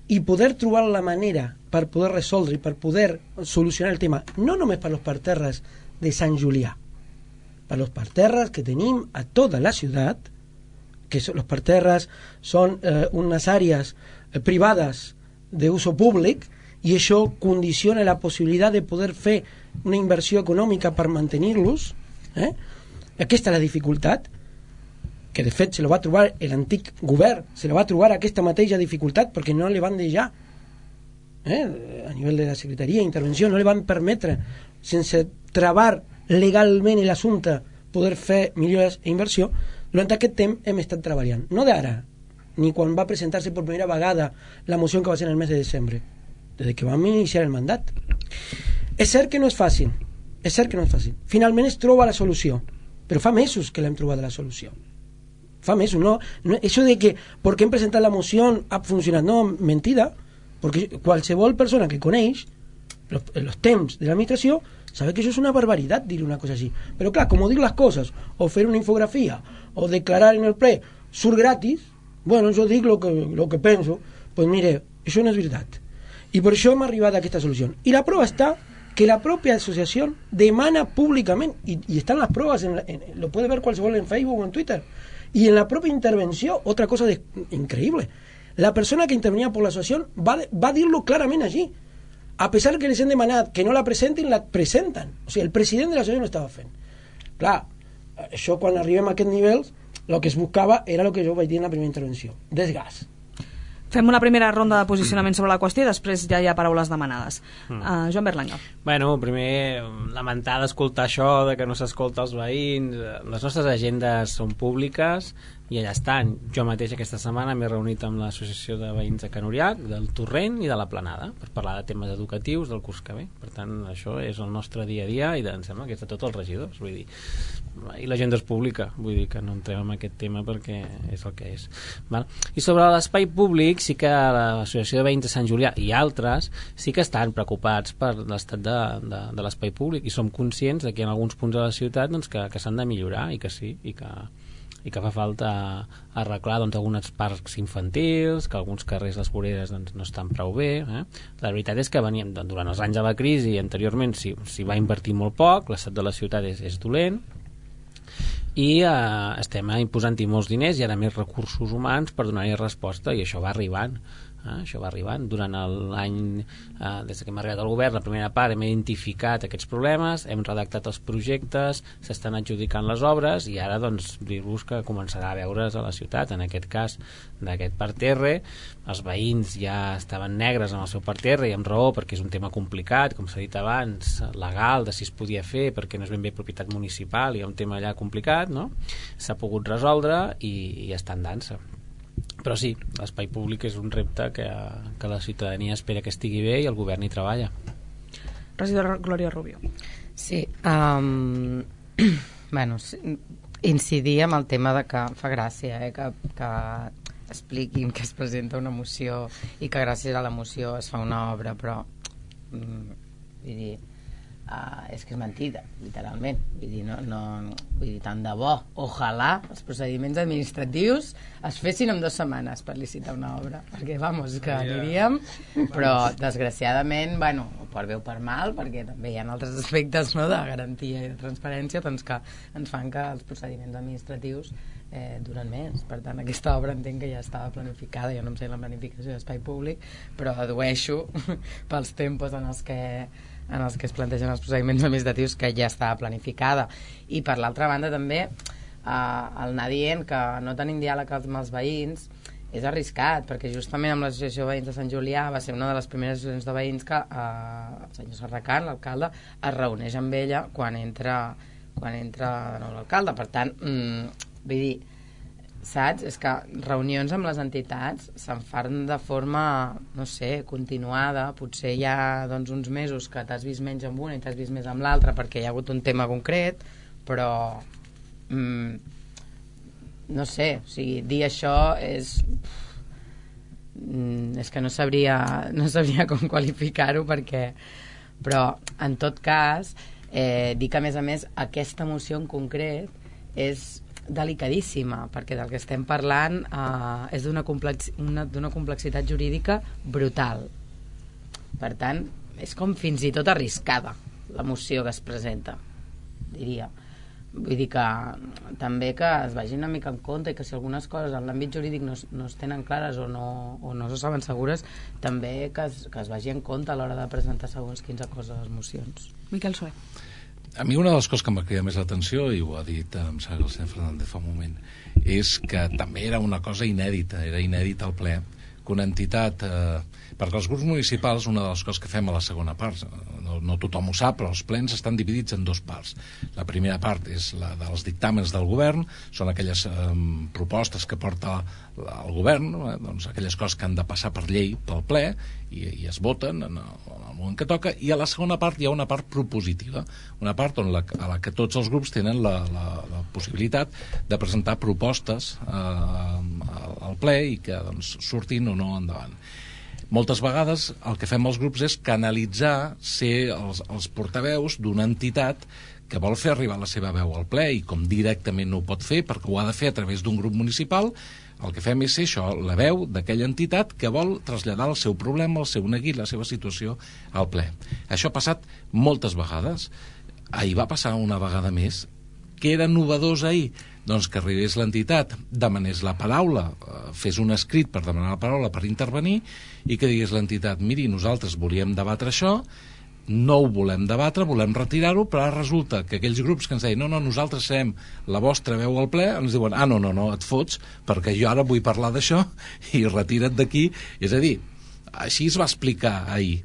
I poder trobar la manera per poder resoldre i per poder solucionar el tema, no només per los parterres de Sant Julià, per los parterres que tenim a tota la ciutat, que los parterres són unes àrees privades d'uso públic, i això condiciona la possibilitat de poder fer una inversió econòmica per mantenir-los. Aquesta és la dificultat. que de fet se lo va trobar l'antic govern, se lo va trobar aquesta mateixa dificultat perquè no li van deixar a nivell de la secretaria d'intervenció, no li van permetre, sense travar legalment l'assumpte, poder fer millores i inversió. Durant aquest temps hem estat treballant, no d'ara, ni quan va presentar-se per primera vegada la moció que va ser en el mes de desembre, des que vam iniciar el mandat. És cert que no és fàcil, finalment es troba la solució, però fa mesos que l'hem trobat la solució. Fa mesos, no, això de que perquè hem presentat la moció ha funcionat, no, mentida, perquè qualsevol persona que coneix els temps de l'administració sabe que això és una barbaritat dir una cosa així, però clar, com dir les coses o fer una infografia o declarar en el ple surt gratis, bueno, jo dic lo que penso, pues mire, això no és veritat, i per això hem arribat a aquesta solució, i la prova està que la pròpia associació demana públicament, i estan les proves, lo puede ver qualsevol en Facebook o en Twitter, y en la propia intervención, otra cosa increíble, la persona que intervenía por la asociación va a decirlo claramente allí, a pesar que les han demanat que no la presentin, la presenten. O sigui, el president de l'associació no estava fent. Clar, això quan arribem a aquest nivell, el que es buscava era el que jo vaig dir en la primera intervenció, desgast.
Fem una primera ronda de posicionament sobre la qüestió i després ja hi ha paraules demanades. Joan Berlanga.
Bueno, primer, lamentar d'escoltar això, de que no s'escolta els veïns. Les nostres agendes són públiques i allà estan. Jo mateix aquesta setmana m'he reunit amb l'associació de veïns de Can Uriac, del Torrent i de la Planada, per parlar de temes educatius del curs que ve. Per tant, això és el nostre dia a dia i em sembla que és de tots els regidors, vull dir. I l'agenda és pública, vull dir que no entrem en aquest tema perquè és el que és. Val? I sobre l'espai públic, sí que l'associació de veïns de Sant Julià i altres sí que estan preocupats per l'estat de l'espai públic i som conscients de que hi ha alguns punts de la ciutat doncs, que s'han de millorar i que sí, i que fa falta arreglar doncs, alguns parcs infantils, que alguns carrers, les voreres doncs, no estan prou bé. La veritat és que veníem, durant els anys de la crisi anteriorment s'hi va invertir molt poc, l'estat de la ciutat és dolent i estem imposant-hi molts diners i ara més recursos humans per donar-hi resposta i això va arribant. Això va arribant durant l'any des que hem arribat al govern, la primera part hem identificat aquests problemes, hem redactat els projectes, s'estan adjudicant les obres i ara doncs dir-vos que començarà a veure's a la ciutat. En aquest cas d'aquest parterre, els veïns ja estaven negres amb el seu parterre i amb raó perquè és un tema complicat, com s'ha dit abans, legal, de si es podia fer perquè no és ben bé propietat municipal, hi ha un tema allà complicat, no? S'ha pogut resoldre i està en dansa. Però sí, l'espai públic és un repte que la ciutadania espera que estigui bé i el govern hi treballa.
Regidora Glòria Rubio.
Sí, bueno, incidir en el tema de que fa gràcia que expliquin que es presenta una moció i que gràcies a la moció es fa una obra, però vull dir, és que és mentida, literalment. Vull dir, vull dir, tant de bo, ojalà els procediments administratius es fessin en 2 setmanes per licitar una obra, perquè, vamos, que aniríem, però desgraciadament, bueno, per bé o per mal, perquè també hi ha altres aspectes, no?, de garantia i de transparència, doncs que ens fan que els procediments administratius duren més. Per tant, aquesta obra entenc que ja estava planificada, jo no em sé la planificació d'espai públic, però dedueixo pels tempos en els que es plantegen els procediments administratius que ja estava planificada. I per l'altra banda també el anar dient que no tenim diàleg amb els veïns és arriscat, perquè justament amb l'associació de veïns de Sant Julià va ser una de les primeres associacions de veïns que el senyor Serracant, l'alcalde, es reuneix amb ella quan entra de nou l'alcalde. Per tant, vull dir, saps? És que reunions amb les entitats se'n fan de forma, no sé, continuada. Potser hi ha doncs, uns mesos que t'has vist menys amb una i t'has vist més amb l'altra perquè hi ha hagut un tema concret, però no sé, o sigui, dir això és que no sabria com qualificar-ho, perquè, però en tot cas dir que a més aquesta moció en concret és delicadíssima, perquè del que estem parlant és d'una complexitat jurídica brutal. Per tant, és com fins i tot arriscada la moció que es presenta, diria. Vull dir que també que es vagi una mica en compte i que si algunes coses en l'àmbit jurídic no es tenen clares o no se saben segures, també que es vagi en compte a l'hora de presentar segons quines coses a les mocions.
Miquel Soler.
A mi una de les coses que m'ha cridat més l'atenció, i ho ha dit em sembla que el senyor Fernández fa un moment, és que també era una cosa inèdita, era inèdita al ple, que una entitat... perquè els grups municipals, una de les coses que fem a la segona part, no tothom ho sap, però els plens estan dividits en dues parts. La primera part és la dels dictàmens del govern, són aquelles propostes que porta el govern, doncs aquelles coses que han de passar per llei pel ple i es voten en el moment que toca, i a la segona part hi ha una part propositiva, una part a la que tots els grups tenen la possibilitat de presentar propostes al ple i que doncs, surtin o no endavant. Moltes vegades el que fem els grups és canalitzar, ser els portaveus d'una entitat que vol fer arribar la seva veu al ple, i com directament no ho pot fer perquè ho ha de fer a través d'un grup municipal, el que fem és ser això, la veu d'aquella entitat que vol traslladar el seu problema, el seu neguit, la seva situació al ple. Això ha passat moltes vegades. Ahir va passar una vegada més. Què era novedós ahir? Doncs que arribés l'entitat, demanés la paraula, fes un escrit per demanar la paraula per intervenir, i que digués l'entitat, miri, nosaltres volíem debatre això, no ho volem debatre, volem retirar-ho, però ara resulta que aquells grups que ens deien no, nosaltres serem la vostra veu al ple, ens diuen, no, et fots, perquè jo ara vull parlar d'això, i retira't d'aquí. És a dir, així es va explicar ahir.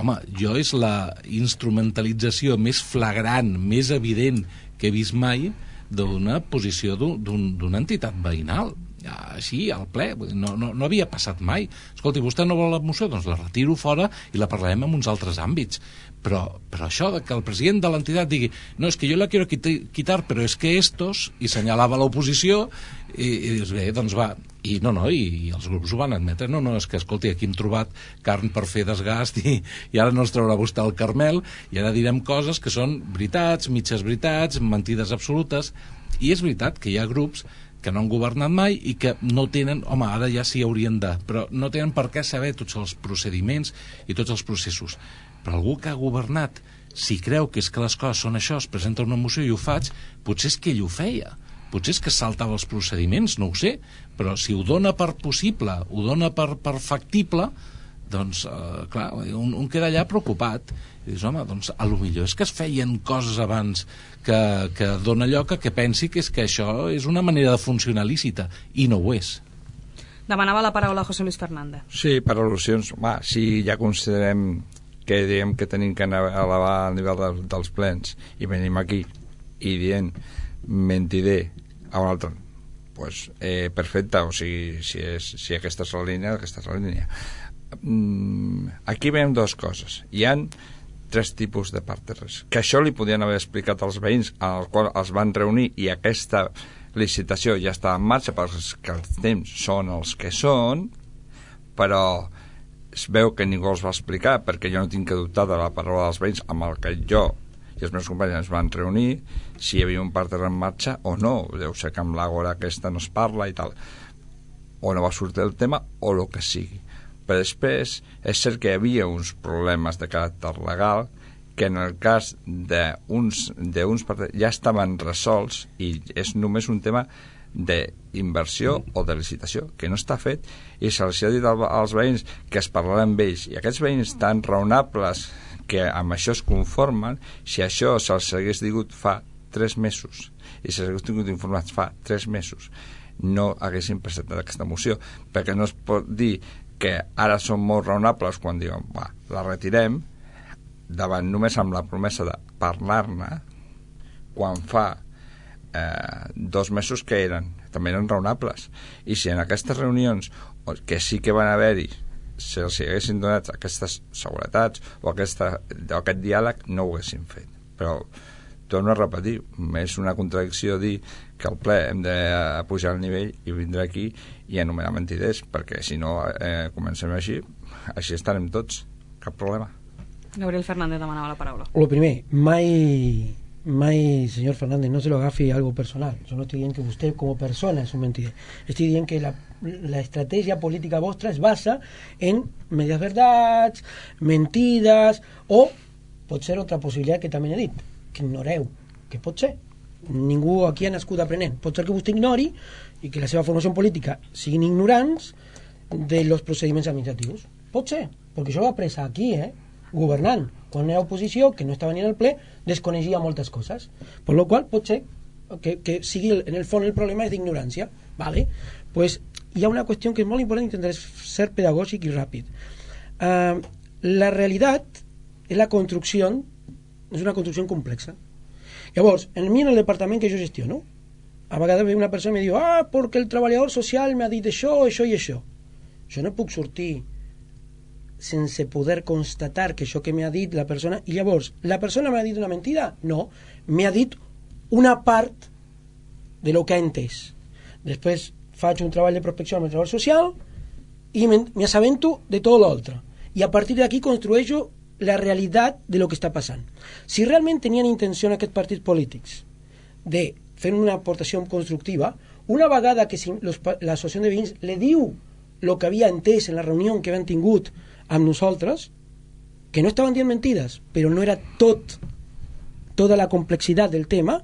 Home, jo és la instrumentalització més flagrant, més evident que he vist mai d'una posició d'una entitat veïnal. Així, al ple, no havia passat mai. Escolti, vostè no vol la moció? Doncs la retiro fora i la parlarem en uns altres àmbits. Però això de que el president de l'entitat digui no, és que jo la quiero quitar, però és que estos, i senyalava l'oposició, i dius, bé, doncs va. I els grups ho van admetre. No, és que, escolti, aquí hem trobat carn per fer desgast i ara no es traurà vostè el Carmel, i ara direm coses que són veritats, mitges veritats, mentides absolutes. I és veritat que hi ha grups que no han governat mai i que no tenen, home, ara ja sí haurien de, però no tenen per què saber tots els procediments i tots els processos. Però algú que ha governat, si creu que és que les coses són això, es presenta una moció i ho faig, potser és que ell ho feia, potser és que saltava els procediments, no ho sé, però si ho dona per possible, ho dona per factible, doncs, clar, un queda allà preocupat. I dius, home, doncs, a lo millor és que es feien coses abans que dona lloc a que pensi que és que això és una manera de funcionar lícita, i no ho és.
Demanava la paraula José Luis Fernández.
Sí, per al·lusions. Si ja considerem que diem que tenim que elevar el nivell dels plens i venim aquí i dient mentider a un altre, doncs perfecte, o sigui, si aquesta és la línia, aquesta és la línia. Aquí veiem dues coses. Hi han 3 tipus de parteres, que això li podien haver explicat als veïns, al qual els van reunir, i aquesta licitació ja està en marxa perquè els temps són els que són, però es veu que ningú els va explicar, perquè jo no tinc que dubtar de la paraula dels veïns amb el que jo i els meus companys ens van reunir, si hi havia un parter en marxa o no. Deu ser que amb l'agora aquesta no es parla i tal, o no va sortir el tema o el que sigui. Però després és cert que hi havia uns problemes de caràcter legal que en el cas d'uns ja estaven resolts, i és només un tema d'inversió o de licitació que no està fet, i se'ls ha dit als veïns que es parlarà amb ells, i aquests veïns tan raonables que amb això es conformen, si això se'ls hagués digut fa 3 mesos i se'ls hagués tingut informats fa 3 mesos, no haguessin presentat aquesta moció, perquè no es pot dir que ara són molt raonables quan diuen, la retirem, davant només amb la promesa de parlar-ne, quan fa 2 mesos que també eren raonables. I si en aquestes reunions, que sí que van haver-hi, se'ls haguessin donat aquestes seguretats o aquest diàleg, no ho haguessin fet. Però torno a repetir, és una contradicció dir que al ple hem de pujar el nivell i vindre aquí i anomenar mentiders, perquè si no comencem així estarem tots, cap problema.
Gabriel Fernández demanava la paraula.
Lo primer, mai, señor Fernández, no se lo agafi algo personal. Yo no estoy diciendo que usted como persona es un mentider. Estoy diciendo que la estrategia política vostra es basa en medias verdades, mentides, o pot ser otra possibilitat que també he dit, que ignoreu, que pot ser. Ningú aquí ha nascut aprenent. Pot ser que vostè ignori i que la seva formació política siguin ignorants de los procediments administratius. Pot ser, perquè això ho ha après aquí, governant. Quan era oposició, que no estava ni en el ple, desconeixia moltes coses. Per la qual pot ser que sigui, en el fons, el problema és d'ignorància. Vale? Pues, hi ha una qüestió que és molt important, intentar ser pedagògic i ràpid. La realitat és la construcció, és una construcció complexa. Llavors, en el departament que jo gestiono, a vegades ve una persona i me diu perquè el treballador social m'ha dit això, això i això. Jo no puc sortir sense poder constatar que això que m'ha dit la persona, i llavors, la persona m'ha dit una mentida? No, m'ha dit una part de lo que ha entès. Després faig un treball de prospecció amb el treball social i m'assabento de tot l'altre. I a partir d'aquí construeixo la realitat de lo que està passant. Si realment tenien intenció aquests partits polítics de fer una aportació constructiva, una vegada que l'associació de veïns le diu el que havia entès en la reunió que havien tingut amb nosaltres, que no estaven dient mentides, però no era tota la complexitat del tema,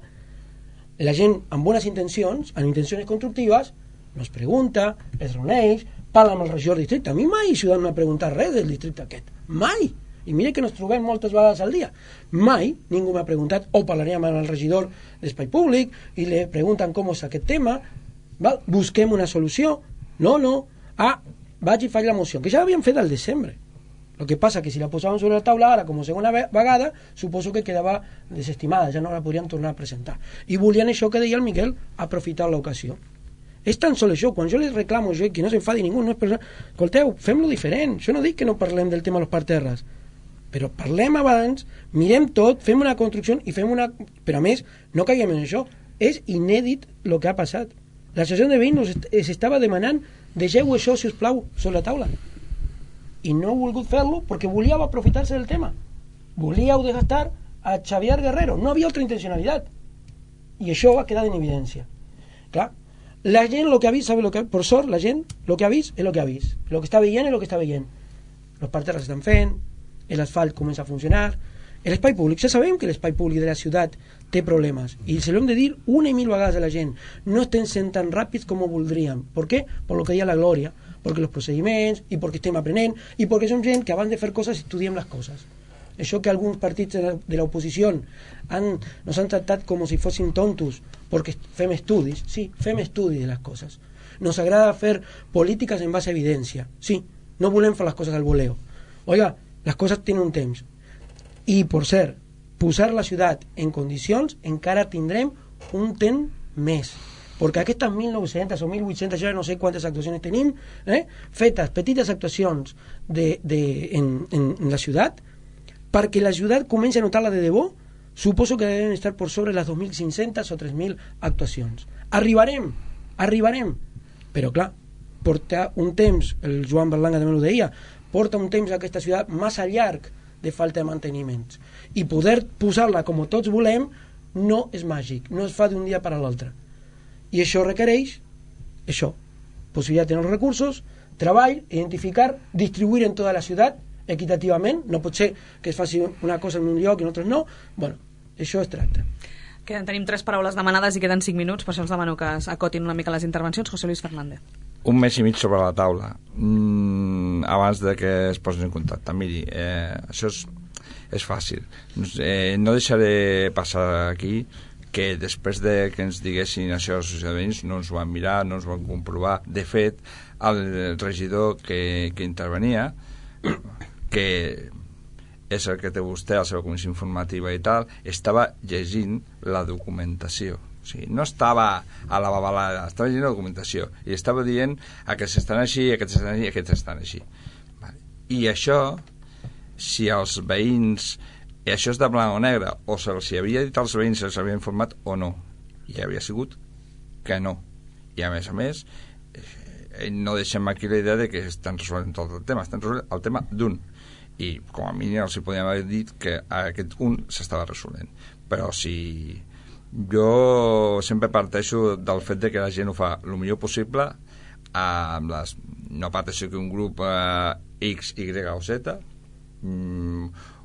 la gent amb bones intencions, amb intencions constructives, nos pregunta, es reuneix, parla amb el regidor del districte. A mi mai Ciutadans m'ha preguntat res del districte aquest. Mai! I mira que nos trobem moltes vegades al dia. Mai ningú m'ha preguntat, o parlaríem amb el regidor d'Espai Públic i le pregunten com és aquest tema, val? Busquem una solució. No. Vaig i faig la moció, que ja l'havíem fet al desembre. El que passa que si la posàvem sobre la taula ara com a segona vegada, suposo que quedava desestimada, ja no la podríem tornar a presentar. I volien això que deia el Miquel, aprofitar l'ocasió. És tan sol això, quan jo les reclamo, que no s'enfadi ningú, no és persona... Escolteu, fem-lo diferent. Jo no dic que no parlem del tema de los parterres, però parlem abans, mirem tot, fem una construcció i fem una... Però a més, no caiguem en això. És inèdit el que ha passat. L'associació de veïns es estava demanant deixeu això, si us plau, sobre la taula. I no he volgut fer-lo perquè volíeu aprofitar-se del tema. Volíeu desgastar a Xavier Guerrero. No havia altra intencionalitat. I això va quedar en evidència. Clar, la gent el que ha vist, sabe lo que, por sort, la gent el que ha vist és el que ha vist. El que està veient és el que està veient. Els parterres estan fent, l'asfalt comença a funcionar, l'espai públic, ja sabem que l'espai públic de la ciutat té problemes, i se l'hem de dir una i mil vegades a la gent, no estem sent tan ràpids com ho voldríem. Per què? Per lo que deia la Glòria, perquè els procediments, i perquè estem aprenent, i perquè som gent que abans de fer coses estudiem les coses. Això que alguns partits de l'oposició nos han tractat com si fóssim tontos perquè fem estudis. Sí, fem estudis de les coses. Nos agrada fer polítiques en base a evidència. Sí, no volem fer les coses al voleo. Oiga, les coses tenen un temps. I, per cert, posar la ciutat en condicions encara tindrem un temps més. Perquè aquestes 1.900 o 1.800, ja no sé quantes actuacions tenim, fetes, petites actuacions en la ciutat, perquè la ciutat comenci a notar-la de debò, suposo que deben estar per sobre les 2.500 o 3.000 actuacions. Arribarem. Però clar, porta un temps, el Joan Berlanga també ho deia, porta un temps a aquesta ciutat massa llarg de falta de manteniments. I poder posar-la com tots volem no és màgic, no es fa d'un dia per a l'altre. I això requereix possibilitat de tenir els recursos, treball, identificar, distribuir en tota la ciutat equitativament, no pot ser que es faci una cosa en un lloc i en altres no. Bueno, això es tracta.
Tenim 3 paraules demanades i queden 5 minuts, per això els demano que acotin una mica les intervencions. José Luis Fernández.
Un mes i mig sobre la taula, abans de que es posin en contacte. Miri, això és fàcil. No deixaré passar aquí que després de que ens diguessin això als ciutadans no ens ho van mirar, no ens ho van comprovar. De fet, el regidor que intervenia, que és el que té vostè a la seva comissió informativa i tal, estava llegint la documentació. O sigui, no estava a la babalada, estava llegint la documentació i estava dient aquests estan així, aquests estan així, aquests estan així. I això, si els veïns, això és de blanc o negre, o se'ls havia dit als veïns, se'ls havia informat o no, i havia sigut que no. I a més, no deixem aquí la idea de que estan resolent tot el tema, estan resolent el tema d'un, i com a mínim els podíem haver dit que aquest un s'estava resolent. Però si jo sempre parteixo del fet de que la gent ho fa el millor possible, amb les, no parteixo que un grup X, Y o Z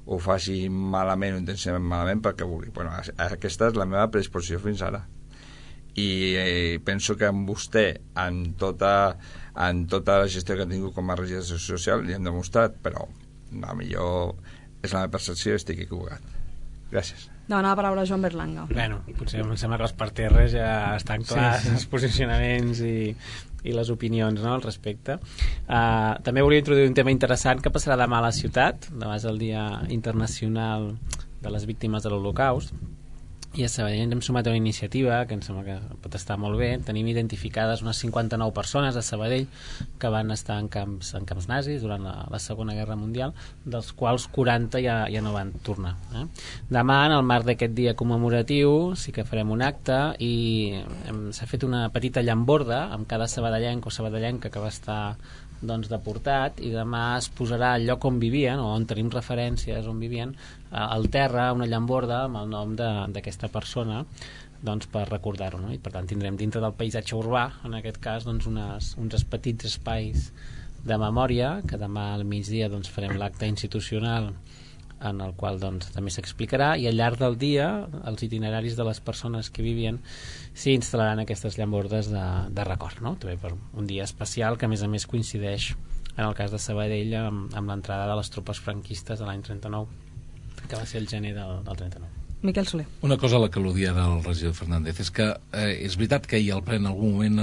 ho faci malament o intensament malament perquè vulgui. Bueno, aquesta és la meva predisposició fins ara. I penso que amb vostè, en tota la gestió que ha tingut com a regidor social, li hem demostrat, però a millor és la meva percepció i estic equivocat. Gràcies.
Demana la paraula Joan Berlanga.
Bueno, potser em sembla que els per terres ja estan clars els posicionaments i les opinions, no, al respecte. També volia introduir un tema interessant que passarà demà a la ciutat. Demà és el Dia Internacional de les Víctimes de l'Holocaust, i a Sabadell hem sumat una iniciativa que em sembla que pot estar molt bé. Tenim identificades unes 59 persones a Sabadell que van estar en camps nazis durant la Segona Guerra Mundial, dels quals 40 ja no van tornar. Demà, en el marc d'aquest dia commemoratiu, sí que farem un acte i s'ha fet una petita llamborda amb cada sabadellenc o sabadellenca que va estar deportat, i demà es posarà al lloc on vivien o on tenim referències on vivien, al terra una llamborda amb el nom d'aquesta persona, per recordar-ho, no? I per tant tindrem dintre del paisatge urbà, en aquest cas, uns petits espais de memòria, que demà al migdia farem l'acte institucional en el qual també s'explicarà, i al llarg del dia els itineraris de les persones que vivien s'hi instal·laran aquestes llambordes de record, no? També per un dia especial que a més coincideix en el cas de Sabadell amb l'entrada de les tropes franquistes de l'any 39, que va ser el gener del 39.
Miquel Soler.
Una cosa a la que al·ludia del regidor Fernández és que és veritat que ahir al ple en algun moment,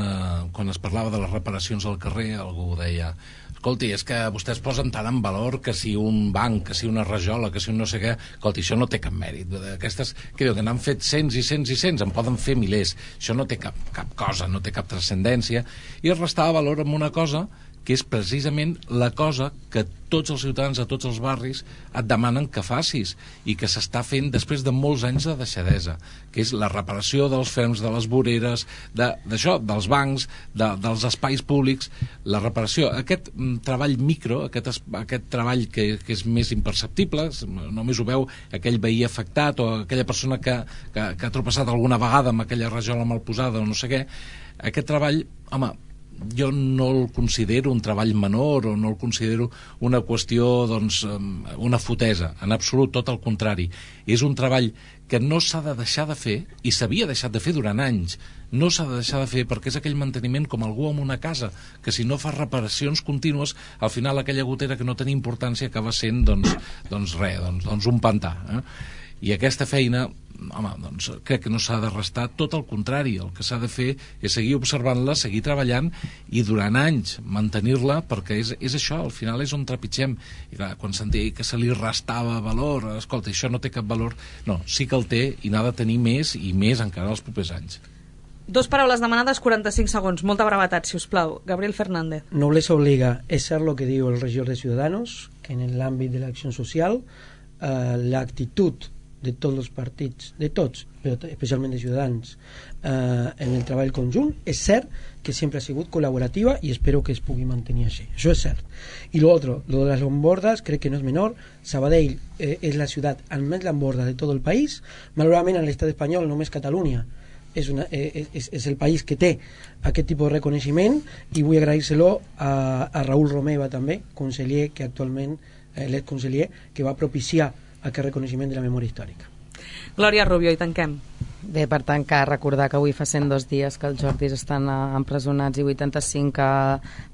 quan es parlava de les reparacions al carrer, algú deia: escolti, és que vostès posen tant en valor que si un banc, que si una rajola, que si un no sé què, escolti, això no té cap mèrit. Aquestes, que diu, que n'han fet cents i cents i cents, en poden fer milers. Això no té cap cosa, no té cap transcendència. I es restava valor amb una cosa que és precisament la cosa que tots els ciutadans de tots els barris et demanen que facis i que s'està fent després de molts anys de deixadesa, que és la reparació dels ferms, de les voreres, d'això, dels bancs, dels espais públics, la reparació, aquest treball micro, aquest treball que és més imperceptible, només ho veu aquell veí afectat o aquella persona que ha tropeçat alguna vegada amb aquella rajola mal posada o no sé què. Aquest treball, home, jo no el considero un treball menor o no el considero una qüestió, una fotesa, en absolut, tot el contrari. És un treball que no s'ha de deixar de fer, i s'havia deixat de fer durant anys. No s'ha de deixar de fer perquè és aquell manteniment com algú en una casa, que si no fa reparacions contínues, al final aquella gotera que no tenia importància acaba sent un pantà. I aquesta feina, home, crec que no s'ha de restar, tot el contrari. El que s'ha de fer és seguir observant-la, seguir treballant i durant anys mantenir-la, perquè és això, al final és on trepitgem. I clar, quan sentia que se li restava valor, escolta, això no té cap valor, no, sí que el té i n'ha de tenir més i més encara els propers anys.
2 paraules demanades, 45 segons, molta brevetat, si us plau. Gabriel Fernández.
Nobleza obliga, es ser lo que diu el regidor de Ciudadanos, que en l'àmbit de l'acció social, l'actitud de tots els partits, de tots, però especialment de Ciutadans, en el treball conjunt, és cert que sempre ha sigut col·laborativa i espero que es pugui mantenir així. Això és cert. I l'altre, lo de les llambordas, crec que no és menor. Sabadell és la ciutat amb més llambordas de tot el país. Malauradament, en l'estat espanyol, només Catalunya és el país que té aquest tipus de reconeixement, i vull agrair-se-lo a Raúl Romeva també, conseller, que actualment l'exconseller, que va propiciar aquest reconeixement de la memòria històrica.
Glòria Rubio, i tanquem.
Bé, per tancar, recordar que avui fa 102 dies que els Jordis estan empresonats i 85 que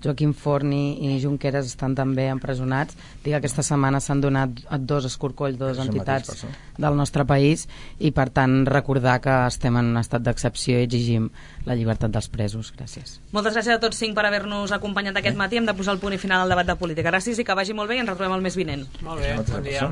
Joaquim Forni i Junqueras estan també empresonats. Dic que aquesta setmana s'han donat 2 escorcolls, 2 entitats del nostre país, i per tant recordar que estem en un estat d'excepció i exigim la llibertat dels presos. Gràcies.
Moltes gràcies a tots 5 per haver-nos acompanyat aquest matí. Hem de posar el punt i final al debat de política. Gràcies i que vagi molt bé, i ens retrobem el mes vinent.
Molt bé, bon dia.